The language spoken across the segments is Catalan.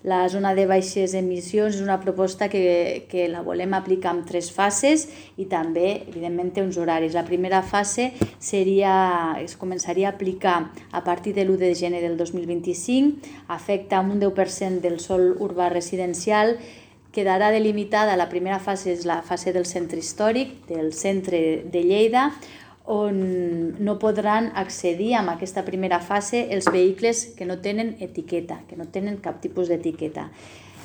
La zona de baixes emissions és una proposta que la volem aplicar en 3 fases i també, evidentment, té uns horaris. La primera fase es començaria a aplicar a partir de l'1 de gener del 2025, afecta un 10% del sòl urbà residencial, quedarà delimitada. La primera fase és la fase del centre històric, del centre de Lleida, on no podran accedir a aquesta primera fase els vehicles que no tenen etiqueta, que no tenen cap tipus d'etiqueta,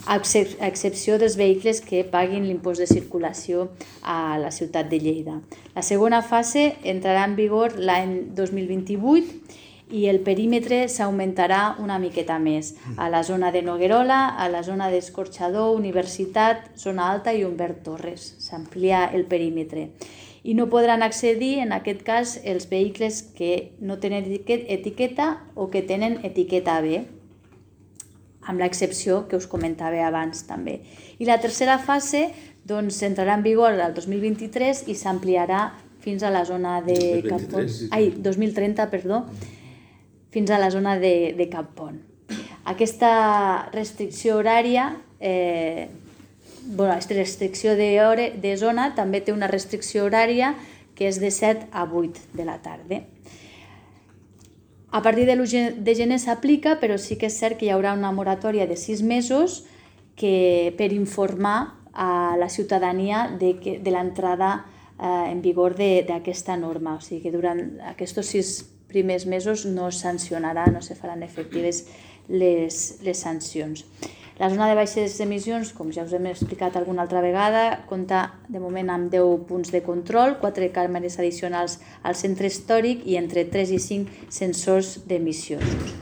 a excepció dels vehicles que paguin l'impost de circulació a la ciutat de Lleida. La segona fase entrarà en vigor l'any 2028 i el perímetre s'augmentarà una miqueta més. A la zona de Noguerola, a la zona d'Escorxador, Universitat, Zona Alta i Humbert Torres. S'amplia el perímetre. I no podran accedir, en aquest cas, els vehicles que no tenen etiqueta o que tenen etiqueta B, amb l'excepció que us comentava abans també. I la tercera fase entrarà en vigor el 2023 i s'ampliarà fins a la zona de Cap Pont. 2030, perdó, fins a la zona de Cap Pont. Aquesta restricció horària, aquesta restricció de zona també té una restricció horària que és de 7 a 8 de la tarda. A partir de l'1 de gener s'aplica, però sí que és cert que hi haurà una moratòria de 6 mesos per informar a la ciutadania de l'entrada en vigor d'aquesta norma. O sigui que durant aquests 6 primers mesos no es sancionarà, no se faran efectives les sancions. La zona de baixes emissions, com ja us hem explicat alguna altra vegada, compta de moment amb 10 punts de control, 4 càmeres addicionals al centre històric i entre 3 i 5 sensors d'emissions.